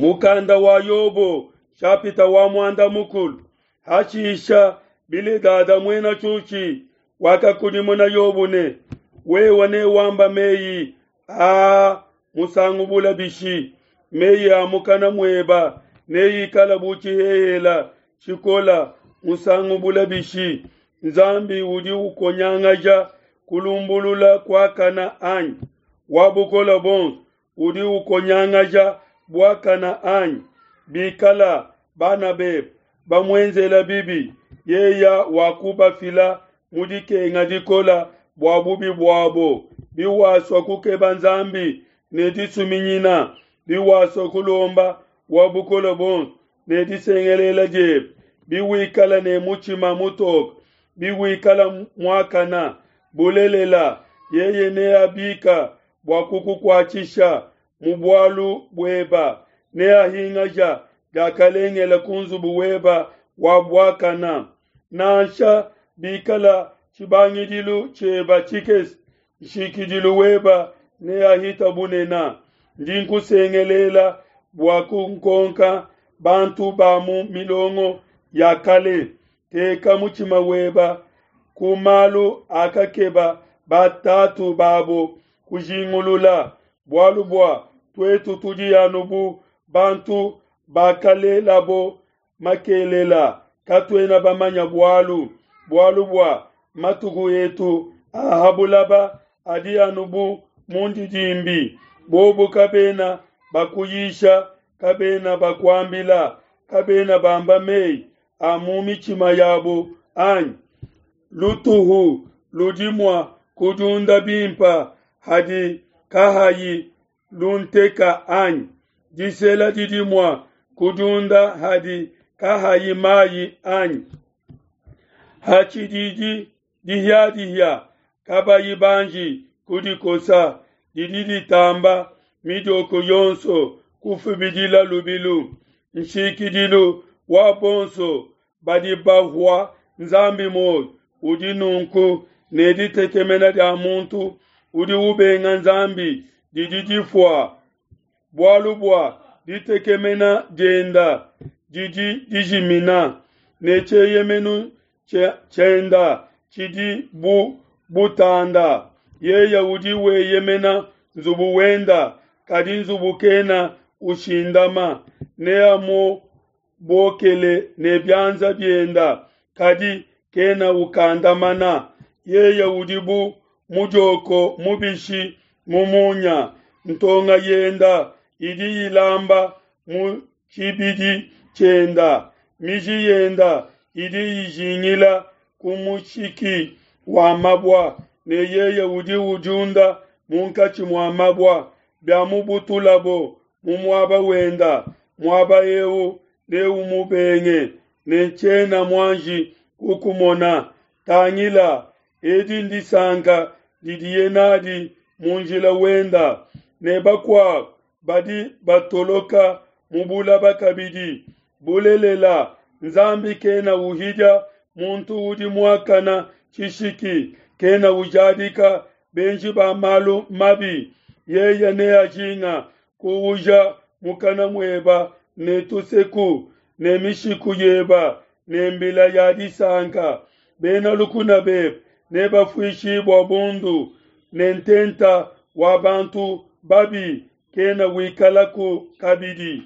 Mukanda wa Yobo shapita wa muanda mukulu. Hashisha Biledada muena Tshushi wakakudimuna Yobo ne, wewe newamba meyi aa musangu bula bishi? Meyi a mukana mueba neikala bu tshihehela tshikola musangu bula bishi? Nzambi udi ukonyangaja kulumbulula kuakana anyi? Wa bukole buonso udi ukonyangaja buakana anyi? Bikala bana bebe bamuenzela bibi, yeya wakubafila mu dikenga dikola bua bubi buabo. Biwasua kukeba Nzambi ne disuminyina, biwasua kulomba wa bukole buonso ne disengelela diebe, biwikala ne mutshima mutoke, biwikala muakana, bulelela, yeye neabika bua kukukuatshisha mu bualu bueba, neahingaja diakalengela ku nzubu weba wa buakana. Nansha bikala tshibangidilu tshieba tshikese, nshikidilu weba neahita bunena. Ndi nkusengelela bua kunkonka bantu ba mu milongo ya kale. Teka mutshima weba ku malu akakeba batatu babo kujingulula, bualu bua tuetu tudi anu bu bantu bakalelabo makelela, katuena bamanya bualu. Bualu bua matuku etu a ha bulaba adi anu bu mundidimbi. Bobo kabena bakuyisha, kabena bakuambila, kabena bamba meyi a mu mitshima yabo anyi? Lutuhu ludi mua kudiunda bimpa hadi kahayi lunteka anyi? Disela didi mua kudiunda hadi kahayi mayi anyi? Hatshididi dihiadihia kabayi banji kudikosa, didi ditamba midioko yonso kufubidila lubilu. Nshikidilu wa bonso badi bahua Nzambi muoyo udi nunku, ne ditekemena dia muntu udi ubenga Nzambi didi difua. Bualu bua ditekemena dienda didi dijimina, ne tshieyemenu tshienda tshidi bu butanda. Yeye udi weyemena nzubu wenda, kadi nzubu kena ushindama. Neamubokele ne bianza bienda, kadi kena ukandamana. Yeye udi bu mudioko mubishi mu munya, ntonga yenda idi ilamba mu tshibidi tshienda, miji yenda idi ijingila ku mushiki wa mabua, ne yeye udi udiunda munkatshi mua mabua. Biamubutulabo mu muaba wenda, muaba eu neumubenge, ne tshiena muanji kukumona. Tangila, edi ndisanka didiye nadi mu njila wenda, ne bakuabo badi batoloka mu bulaba kabidi. Bulelela, Nzambi kena uhidia muntu udi muakana tshishiki, kena ujadika benji ba malu mabi. Yeye neajinga kuuja mukana mueba ne tuseku, ne mishiku yeba ne mbila ya disanka. Bena lukuna bebe nebafuishibua bundu, ne ntenta wa bantu babi kena wikalaku kabidi.